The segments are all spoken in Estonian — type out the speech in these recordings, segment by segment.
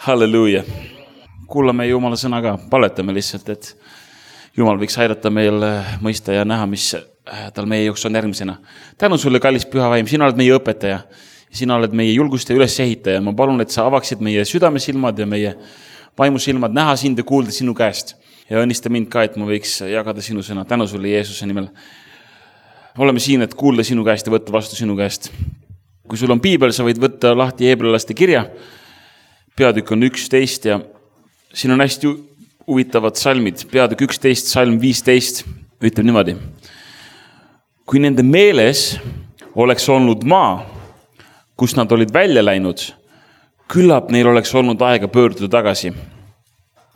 Halleluuja. Kuulame Jumala sõna ka, paletame lihtsalt, et Jumal võiks aidata meil mõista ja näha, mis tal meie jaoks on järgmisena. Tänu sulle, kallis püha vaim, sina oled meie õpetaja. Sina oled meie julguste ülesehitaja. Ma palun, et sa avaksid meie südamesilmad ja meie vaimusilmad näha sind ja kuulda sinu käest. Ja õnnista mind ka, et ma võiks jagada sinu sõna. Tänu sulle Jeesuse nimel. Oleme siin, et kuulda sinu käest ja võtta vastu sinu käest. Kui sul on piibel, sa võid võtta lahti Heebrealaste kirja. Peatükk on 11 ja siin on hästi huvitavad salmid. Peatükk 11, salm 15 ütleb niimoodi. Kui nende meeles oleks olnud maa, kus nad olid välja läinud, küllap neil oleks olnud aega pöörduda tagasi.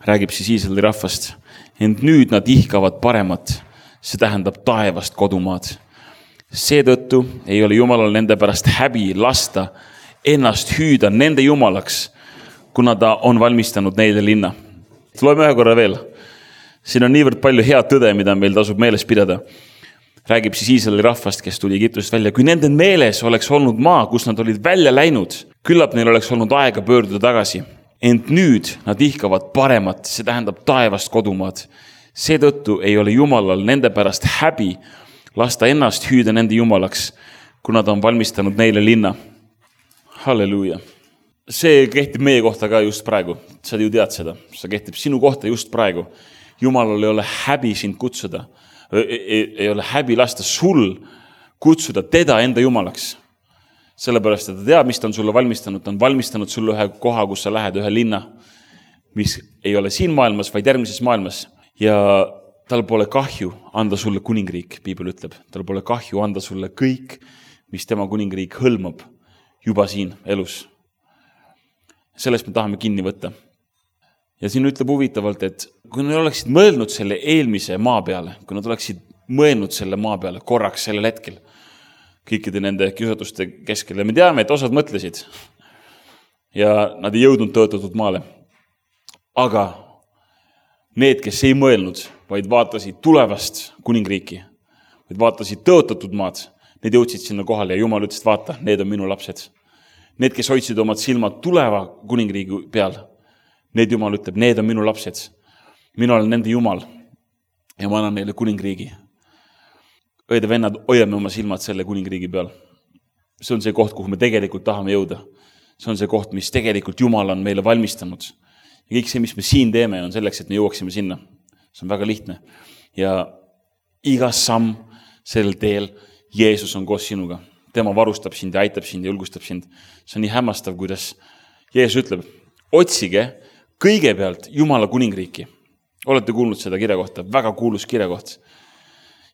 Räägib siis Iisraeli rahvast. Ent nüüd nad ihkavad paremat. See tähendab taevast kodumaad. Seetõttu ei ole Jumalal nende pärast häbi lasta ennast hüüda nende Jumalaks, kuna ta on valmistanud neile linna. Loeme ühe korra veel. Siin on niivõrd palju head tõde, mida meil tasub meeles pidada. Räägib siis Iisraeli rahvast, kes tuli Egiptusest välja. Kui nende meeles oleks olnud maa, kus nad olid välja läinud, küllap neil oleks olnud aega pöörduda tagasi. Ent nüüd nad ihkavad paremat, see tähendab taevast kodumaad. Seetõttu ei ole Jumalal nende pärast häbi lasta ennast hüüda nende Jumalaks, kuna ta on valmistanud neile linna. Halleluuja. See kehtib meie kohta ka just praegu. Sa ju tead seda. See kehtib sinu kohta just praegu. Jumalal ei ole häbi sind kutsuda. Ei ole häbi lasta sul kutsuda teda enda Jumalaks. Sellepärast, et ta teab, mis ta on sulle valmistanud. Ta on valmistanud sulle ühe koha, kus sa lähed, ühe linna, mis ei ole siin maailmas, vaid järgmises maailmas. Ja tal pole kahju anda sulle kuningriik, piibel ütleb. Tal pole kahju anda sulle kõik, mis tema kuningriik hõlmab juba siin elus. Sellest me tahame kinni võtta. Ja siin ütleb huvitavalt, et kui nad oleksid mõelnud selle eelmise maa peale, kui nad oleksid mõelnud selle maa peale korraks sellel hetkel, kõikide nende kiusatuste keskel, ja me teame, et osad mõtlesid ja nad ei jõudnud tõotatud maale. Aga need, kes ei mõelnud, vaid vaatasid tulevast kuningriiki, vaid vaatasid tõotatud maad, need jõudsid sinna kohale ja Jumal ütles, vaata, need on minu lapsed. Need, kes hoidsid omad silmad tuleva kuningriigi peal, need Jumal ütleb, need on minu lapsed. Mina olen nende Jumal ja ma annan neile kuningriigi. Õed ja vennad, hoiame oma silmad selle kuningriigi peal. See on see koht, kuhu me tegelikult tahame jõuda. See on see koht, mis tegelikult Jumal on meile valmistanud. Ja kõik see, mis me siin teeme, on selleks, et me jõuaksime sinna. See on väga lihtne. Ja iga samm sellel teel Jeesus on koos sinuga. Tema varustab sind ja aitab sind ja julgustab sind. See on nii hämmastav, kuidas Jeesus ütleb, otsige kõigepealt Jumala kuningriiki. Olete kuulnud seda kirja kohta? Väga kuulus kirja koht.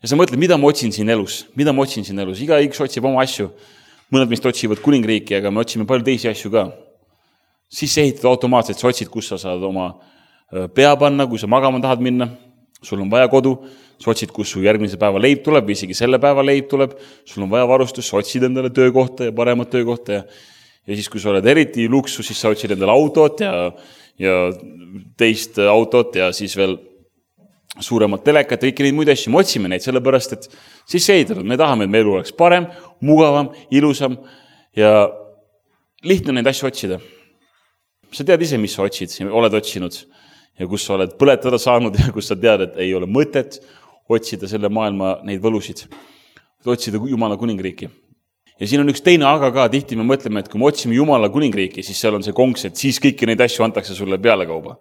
Ja sa mõtled, mida ma otsin siin elus? Mida ma otsin siin elus? Iga üks otsib oma asju. Mõned meist otsivad kuningriiki, aga me otsime palju teisi asju ka. Siis ehitad automaatselt, sa otsid, kus sa saad oma pea panna, kui sa magama tahad minna. Sul on vaja kodu. Sa otsid, kus su järgmise päeva leib tuleb või isegi selle päeva leib tuleb. Sul on vaja varustus, sa otsid endale töökohta ja paremat töökohta. Ja siis, kui sa oled eriti luksus, siis sa otsid endale autot ja teist autot ja siis veel suuremat telekat ja kõiki neid muid asju. Me otsime neid sellepärast, et siis ehitanud. Me tahame, et meil oleks parem, mugavam, ilusam ja lihtne neid asju otsida. Sa tead ise, mis sa otsid, oled otsinud ja kus sa oled põletada saanud ja kus sa tead, et ei ole mõtet otsida selle maailma neid võlusid. Otsida Jumala kuningriiki. Ja siin on üks teine aga ka, tihti me mõtleme, et kui me otsime Jumala kuningriiki, siis seal on see konks, et siis kõiki neid asju antakse sulle peale kauba.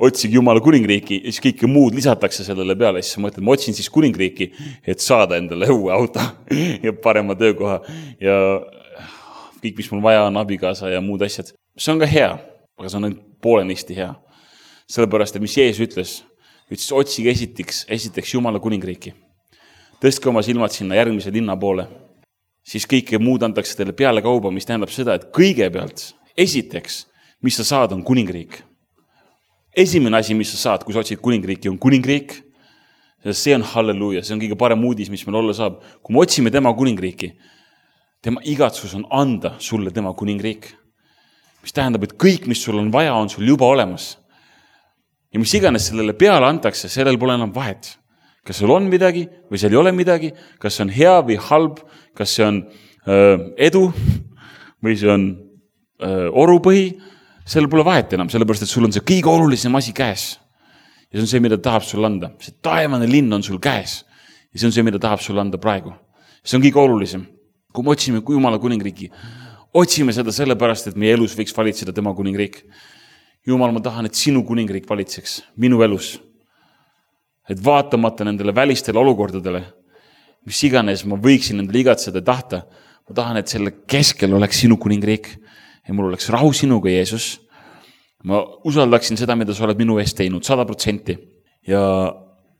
Otsige Jumala kuningriiki ja siis kõike muud lisatakse sellele peale. Siis ma mõtlen, ma otsin siis kuningriiki, et saada endale uue auto ja parema töökoha ja kõik, mis mul vaja on, abikaasa ja muud asjad. See on ka hea, aga see on poolenisti hea. Sellepärast, et mis Jeesus ütles, otsige esiteks Jumala kuningriiki. Tõstke oma silmad sinna järgmise linna poole. Siis kõike muud antakse teile peale kauba, mis tähendab seda, et kõigepealt, esiteks, mis sa saad, on kuningriik. Esimene asi, mis sa saad, kui sa otsid kuningriiki, on kuningriik. See on halleluuja, see on kõige parem uudis, mis meil olla saab. Kui me otsime tema kuningriiki, tema igatsus on anda sulle tema kuningriik. Mis tähendab, et kõik, mis sul on vaja, on sul juba olemas. Ja mis iganes sellele peale antakse, sellel pole enam vahet. Kas seal on midagi või seal ei ole midagi, kas see on hea või halb, kas see on edu või see on orupõhi, sellel pole vahet enam, sellepärast, et sul on see kõige olulisem asi käes. Ja see on see, mida tahab sul anda. See taevane linn on sul käes. Ja see on see, mida tahab sul anda praegu. See on kõige olulisem. Kui me otsime Jumala kuningriiki, otsime seda sellepärast, et meie elus võiks valitseda tema kuningriik. Jumal, ma tahan, et sinu kuningriik valitseks minu elus. Et vaatamata nendele välistele olukordadele, mis iganes ma võiksin nendele igatseda tahta, ma tahan, et selle keskel oleks sinu kuningriik ja mul oleks rahu sinuga, Jeesus. Ma usaldaksin seda, mida sa oled minu eest teinud 100% ja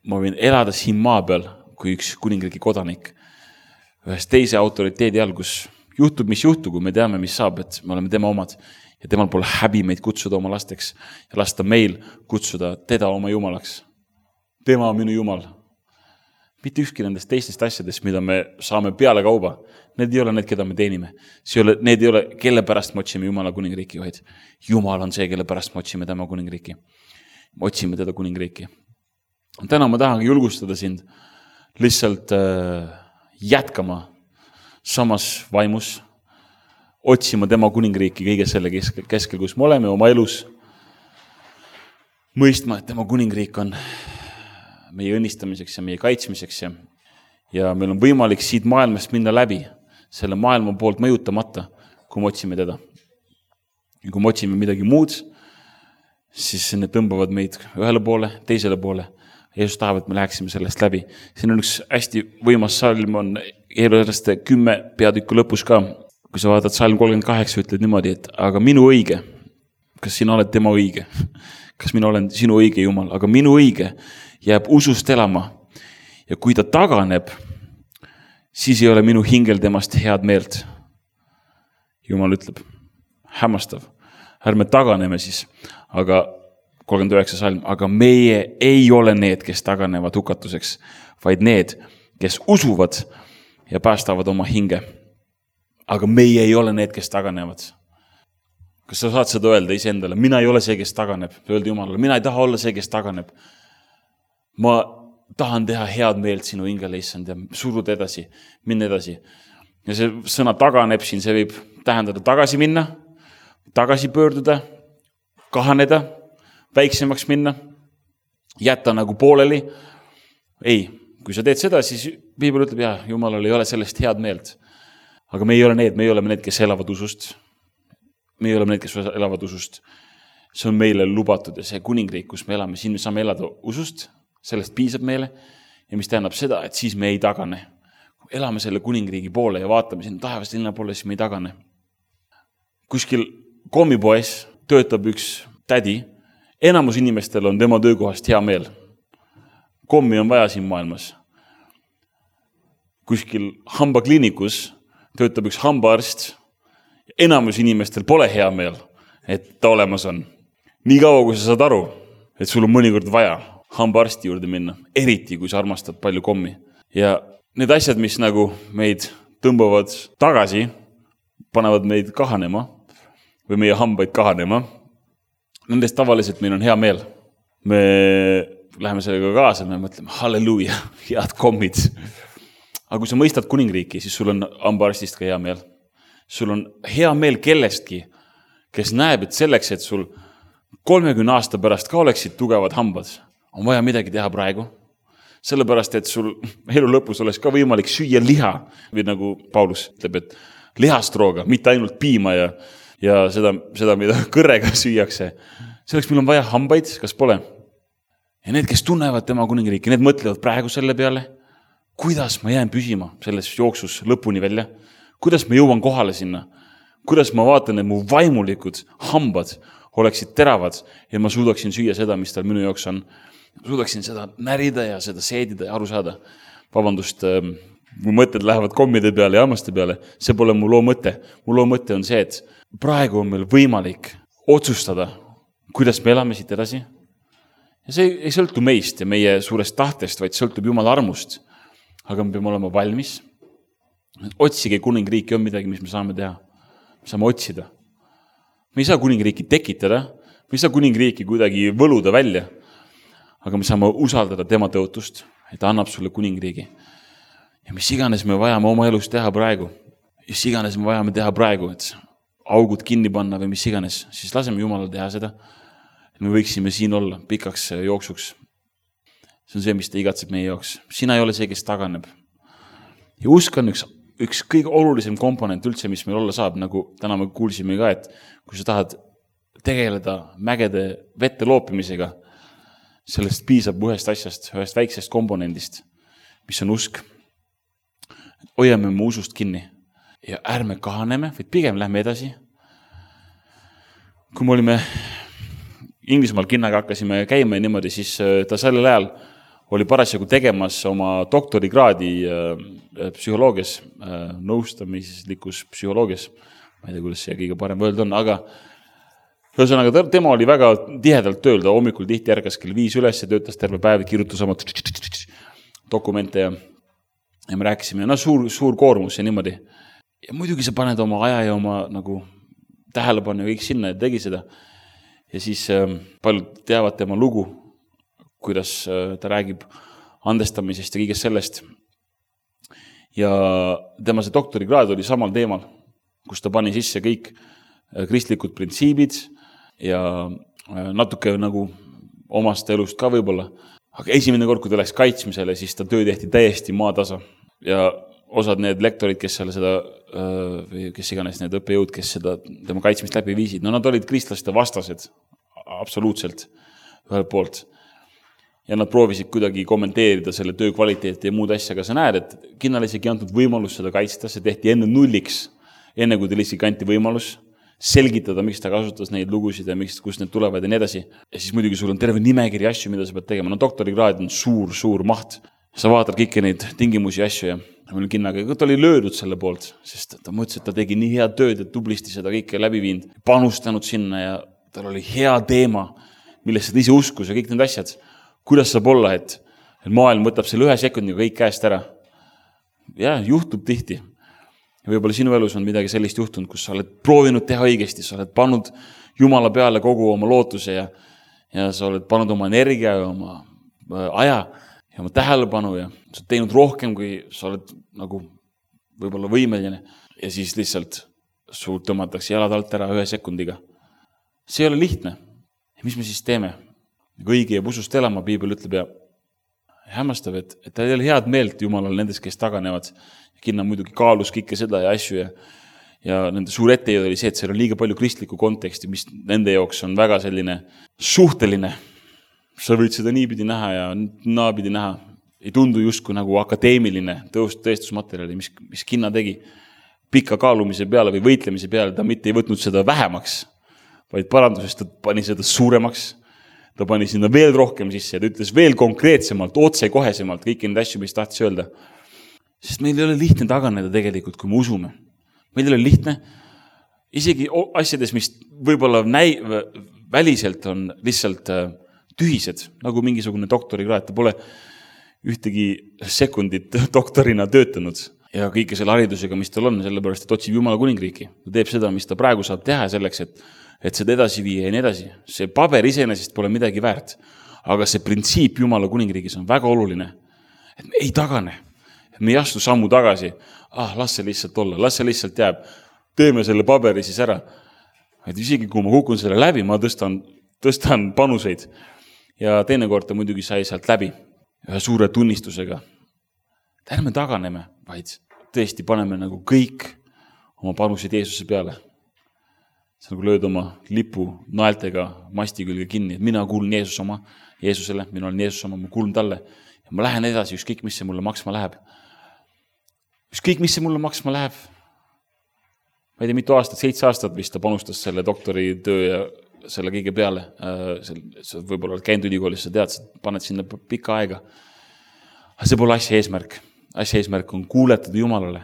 ma võin elada siin maa peal kui üks kuningriigi kodanik ühes teise autoriteedi all, kus juhtub, mis juhtub, kui me teame, mis saab, et me oleme tema omad ja temal pole häbi meid kutsuda oma lasteks ja lasta meil kutsuda teda oma Jumalaks. Tema on minu Jumal. Mitte ükski nendest teistest asjadest, mida me saame peale kauba. Need ei ole need, keda me teenime. Need ei ole, kelle pärast me otsime Jumala kuningriiki, vaid Jumal on see, kelle pärast me otsime tema kuningriiki. Me otsime teda kuningriiki. Täna ma tahangi julgustada sind lihtsalt jätkama samas vaimus, otsima tema kuningriiki kõige selle keskel, kus me oleme oma elus, mõistma, et tema kuningriik on meie õnnistamiseks ja meie kaitsmiseks ja meil on võimalik siit maailmast minna läbi selle maailma poolt mõjutamata, kui me otsime teda. Ja kui me otsime midagi muud, siis need tõmbavad meid ühele poole, teisele poole. Jeesus tahab, et me läheksime sellest läbi. Siin on üks hästi võimas salm, on Hebrealaste 10 peatükku lõpus ka. Kui sa vaatad salm 38, ütled niimoodi, et aga minu õige, kas sina oled tema õige? Kas mina olen sinu õige Jumal? Aga minu õige jääb usust elama ja kui ta taganeb, siis ei ole minu hingel temast head meelt. Jumal ütleb, hämmastav, ärme taganeme siis, aga 39 salm, aga meie ei ole need, kes taganevad hukatuseks, vaid need, kes usuvad ja päästavad oma hinge. Aga meie ei ole need, kes taganevad. Kas sa saad seda öelda iseendale? Mina ei ole see, kes taganeb. Öelda Jumalale, mina ei taha olla see, kes taganeb. Ma tahan teha head meelt sinu hingele, issand, ja suruda edasi, minna edasi. Ja see sõna taganeb siin, see võib tähendada tagasi minna, tagasi pöörduda, kahaneda, väiksemaks minna, jätta nagu pooleli. Ei, kui sa teed seda, siis Piibel ütleb, jah, Jumalal ei ole sellest head meelt. Aga me ei ole need, kes elavad usust. Me ei ole need, kes elavad usust. See on meile lubatud ja see kuningriik, kus me elame, siin me saame elada usust, sellest piisab meile ja mis tähendab seda, et siis me ei tagane. Kui elame selle kuningriigi poole ja vaatame sinna taevast linna poole, siis me ei tagane. Kuskil kommipoes töötab üks tädi, enamus inimestel on tema töökohast hea meel. Kommi on vaja siin maailmas. Kuskil hambakliinikus töötab üks hambaarst, enamus inimestel pole hea meel, et ta olemas on. Nii kaua, kui sa saad aru, et sul on mõnikord vaja hambaarsti juurde minna, eriti kui sa armastad palju kommi. Ja need asjad, mis nagu meid tõmbavad tagasi, panevad meid kahanema või meie hambaid kahanema, nendest tavaliselt meil on hea meel. Me läheme sellega kaasa, me mõtleme, halleluuja, head kommid. Aga kui sa mõistad kuningriiki, siis sul on hambaarstist ka hea meel. Sul on hea meel kellestki, kes näeb, et selleks, et sul 30 aasta pärast ka oleksid tugevad hambad, on vaja midagi teha praegu. Sellepärast, et sul elu lõpus oleks ka võimalik süüa liha, või nagu Paulus ütleb, et lihastrooga, mitte ainult piima ja seda, mida kõrrega süüakse. Selleks meil on vaja hambaid, kas pole? Ja need, kes tunnevad tema kuningriiki, need mõtlevad praegu selle peale, kuidas ma jään püsima selles jooksus lõpuni välja, kuidas ma jõuan kohale sinna, kuidas ma vaatan, et mu vaimulikud hambad oleksid teravad ja ma suudaksin süüa seda, mis tal minu jaoks on. Suudaksin seda närida ja seda seedida ja aru saada. Vabandust, mu mõtted lähevad kommide peale ja hammaste peale. See pole mu loo mõte. Mu loo mõte on see, et praegu on meil võimalik otsustada, kuidas me elame siit edasi. Ja see ei sõltu meist ja meie suurest tahtest, vaid sõltub Jumala armust. Aga me peame olema valmis. Otsige kuningriiki on midagi, mis me saame teha. Me saame otsida. Me ei saa kuningriiki tekitada, me ei saa kuningriiki kuidagi võluda välja, aga me saame usaldada tema tõotust, et ta annab sulle kuningriigi. Ja mis iganes me vajame oma elus teha praegu, mis iganes me vajame teha praegu, et augud kinni panna või mis iganes, siis laseme Jumalal teha seda. Me võiksime siin olla pikaks jooksuks. See on see, mis ta igatseb meie jaoks. Sina ei ole see, kes taganeb. Ja usk on üks kõige olulisem komponent üldse, mis meil olla saab, nagu täna me kuulsime ka, et kui sa tahad tegeleda mägede vette loopimisega, sellest piisab ühest asjast, ühest väiksest komponendist, mis on usk. Hoiame mu usust kinni ja ärme kahaneme, vaid pigem lähme edasi. Kui me olime Inglismaal kinnaga hakkasime käima niimoodi, siis ta sellel ajal oli parasjagu tegemas oma doktorikraadi psühholoogias, nõustamislikus psühholoogias. Ma ei tea, kuidas see kõige parem öelda on, aga ühesõnaga tema oli väga tihedalt tööl, ta hommikul tihti ärkas kell 5 üles ja töötas terve päev, kirjutas oma dokumente ja me rääkisime, suur koormus ja niimoodi. Ja muidugi sa paned oma aja ja oma nagu tähelepanu ja kõik sinna ja tegi seda. Ja siis paljud teavad tema lugu, kuidas ta räägib andestamisest ja kõigest sellest. Ja tema see doktorikraad oli samal teemal, kus ta pani sisse kõik kristlikud printsiibid ja natuke nagu omast elust ka võib-olla. Aga esimene kord, kui ta läks kaitsmisele, siis ta töö tehti täiesti maatasa. Ja osad need lektorid, kes seal seda, või kes iganes need õppejõud, kes seda tema kaitsmist läbi viisid, no nad olid kristlaste vastased, absoluutselt ühelt poolt. Ja nad proovisid kuidagi kommenteerida selle töö kvaliteeti ja muud asja, aga sa näed, et Kinnale isegi antud võimalus seda kaitsta, see tehti enne nulliks, enne kui ta lihtsalt anti võimalus selgitada, miks ta kasutas neid lugusid ja kust need tulevad ja nii edasi. Ja siis muidugi sul on terve nimekiri asju, mida sa pead tegema. No doktorikraad on suur maht. Sa vaatad kõiki neid tingimusi ja asju ja mul Kinnaga, ta oli löödud selle poolt, sest ta mõtles, et ta tegi nii head tööd, et tublisti seda kõike läbi viinud, panustanud sinna ja tal oli hea teema, millest ta ise uskus ja kõik need asjad. Kuidas saab olla, et maailm võtab selle 1 sekundiga kõik käest ära? Ja, juhtub tihti. Ja võib-olla sinu elus on midagi sellist juhtunud, kus sa oled proovinud teha õigesti, sa oled pannud Jumala peale kogu oma lootuse ja sa oled pannud oma energia ja oma aja ja oma tähelepanu ja sa oled teinud rohkem, kui sa oled nagu võib-olla võimeline ja siis lihtsalt sul tõmmatakse jalad alt ära 1 sekundiga. See ei ole lihtne. Ja mis me siis teeme? Õige jääb usust elama, Piibel ütleb ja hämmastav, et ta ei ole head meelt Jumalal nendes, kes taganevad. Kinna muidugi kaalus kõike seda ja asju ja nende suur ettejõud oli see, et seal on liiga palju kristlikku konteksti, mis nende jaoks on väga selline suhteline. Sa võid seda niipidi näha ja naapidi näha. Ei tundu justkui nagu akadeemiline tõestusmaterjali, mis Kinna tegi pika kaalumise peale või võitlemise peale. Ta mitte ei võtnud seda vähemaks, vaid parandusest ta pani seda suuremaks. Ta pani sinna veel rohkem sisse ja ta ütles veel konkreetsemalt, otsekohesemalt kõiki neid asju, mis tahtis öelda. Sest meil ei ole lihtne taganeda tegelikult, kui me usume. Meil ei ole lihtne. Isegi asjades, mis võib-olla väliselt on lihtsalt tühised, nagu mingisugune doktorikraad. Ta pole ühtegi sekundit doktorina töötanud ja kõike selle haridusega, mis tal on, sellepärast, et otsib Jumala kuningriiki. Ta teeb seda, mis ta praegu saab teha selleks, et seda edasi viia ja nii edasi. See paber iseenesest pole midagi väärt, aga see printsiip Jumala kuningriigis on väga oluline, et me ei tagane. Me ei astu sammu tagasi, las see lihtsalt olla, las see lihtsalt jääb, teeme selle paberi siis ära. Et isegi kui ma kukun selle läbi, ma tõstan panuseid ja teinekord ta muidugi sai sealt läbi ühe suure tunnistusega. Ärme taganeme, vaid tõesti paneme nagu kõik oma panuseid Jeesuse peale. See nagu lööd oma lipu naeltega masti külge kinni, et mina kuulun Jeesusele, mina olen Jeesus oma, ma kuulun talle ja ma lähen edasi, ükskõik mis see mulle maksma läheb. Ükskõik, mis see mulle maksma läheb. Ma ei tea, mitu aastat, 7 aastat vist ta panustas selle doktori töö ja selle kõige peale. Sa võib-olla käinud ülikoolis, sa tead, sa paned sinna pikka aega. Aga see pole asja eesmärk. Asja eesmärk on kuuletada Jumalale.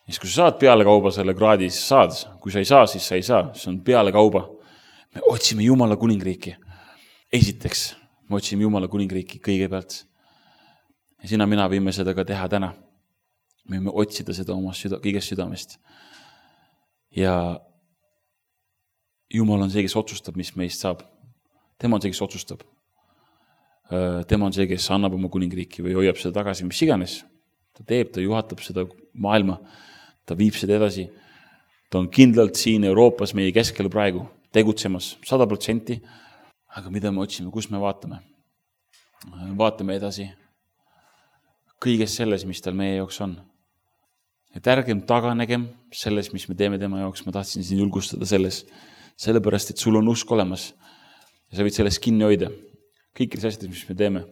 Ja kui sa saad peale kauba selle kraadi, siis saad. Kui sa ei saa, siis sa ei saa. See on peale kauba. Me otsime Jumala kuningriiki. Esiteks, me otsime Jumala kuningriiki kõigepealt. Ja sina mina võime seda ka teha täna. Me võime otsida seda oma kõigest südamest. Ja Jumal on see, kes otsustab, mis meist saab. Tema on see, kes otsustab. Tema on see, kes annab oma kuningriiki või hoiab seda tagasi, mis iganes. Ta teeb, ta juhatab seda maailma, ta viib seda edasi. Ta on kindlalt siin Euroopas meie keskel praegu tegutsemas 100%. Aga mida me otsime, kus me vaatame? Vaatame edasi kõiges selles, mis tal meie jaoks on. Et ärgem taganegem selles, mis me teeme tema jaoks. Ma tahtsin siin julgustada selles, sellepärast, et sul on usk olemas ja sa võid sellest kinni hoida. Kõikides asjades, mis me teeme.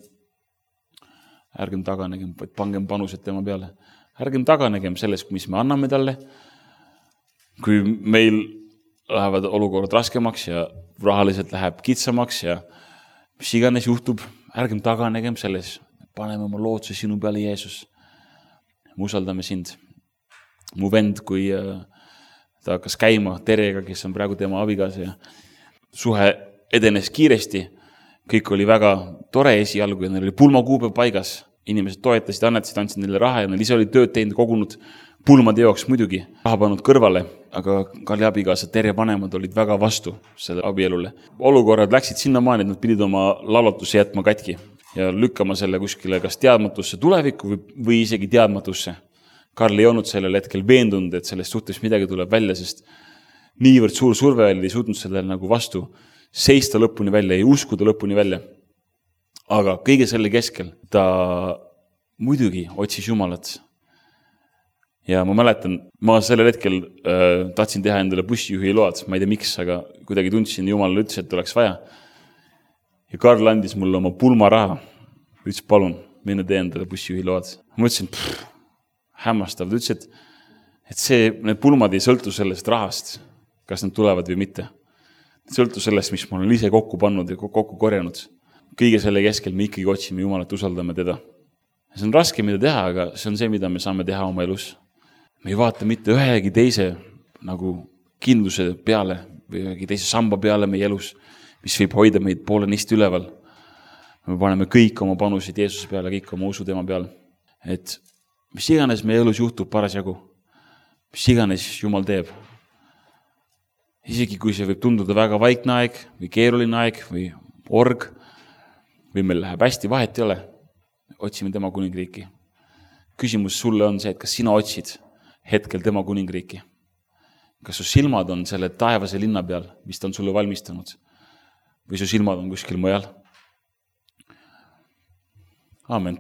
Ärgem taganegem, vaid pangem panused tema peale. Ärgem taganegem sellest, mis me anname talle. Kui meil lähevad olukorrad raskemaks ja rahaliselt läheb kitsamaks ja mis iganes juhtub, ärgem taganegem selles. Paneme oma lootuse sinu peale, Jeesus. Me usaldame sind. Mu vend, kui ta hakkas käima Terega, kes on praegu tema abigaasa ja suhe edenes kiiresti. Kõik oli väga tore esialgu ja neil oli pulmakuupäev paigas. Inimesed toetasid, annetasid, andsid neile raha ja neil ise oli tööd teinud, kogunud pulmade jaoks muidugi. Raha pannud kõrvale, aga Karli abigaasa Tere vanemad olid väga vastu selle abielule. Olukorrad läksid sinnamaani, et nad pidid oma laulatusse jätma katki ja lükkama selle kuskile kas teadmatusse tulevikku või isegi teadmatusse. Karl ei olnud sellel hetkel veendunud, et sellest suhtes midagi tuleb välja, sest niivõrd suur surve oli, ei suutnud sellele nagu vastu seista lõpuni välja, ei uskuda lõpuni välja. Aga kõige selle keskel ta muidugi otsis Jumalat. Ja ma mäletan, ma sellel hetkel tahtsin teha endale bussijuhi load, ma ei tea miks, aga kuidagi tundsin, Jumal ütles, et oleks vaja. Ja Karl andis mulle oma pulmaraha. Ütles, palun, mine tee endale bussijuhi load. Ma ütlesin, hämmastav. Ta ütles, et need pulmad ei sõltu sellest rahast, kas nad tulevad või mitte. Sõltu sellest, mis ma olen ise kokku pannud ja kokku korjanud. Kõige selle keskel me ikkagi otsime Jumalat, usaldame teda. See on raske, mida teha, aga see on see, mida me saame teha oma elus. Me ei vaata mitte ühegi teise nagu kindluse peale või ühegi teise samba peale meie elus, mis võib hoida meid poolenisti üleval. Me paneme kõik oma panusid Jeesuse peale, kõik oma usu tema peale. Et mis iganes meie elus juhtub parasjagu, mis iganes Jumal teeb. Isegi kui see võib tunduda väga vaikne aeg või keeruline aeg või org või meil läheb hästi, vahet ei ole, otsime tema kuningriiki. Küsimus sulle on see, et kas sina otsid hetkel tema kuningriiki? Kas su silmad on selle taevase linna peal, mis ta on sulle valmistanud? Või su silmad on kuskil mujal? Aamen.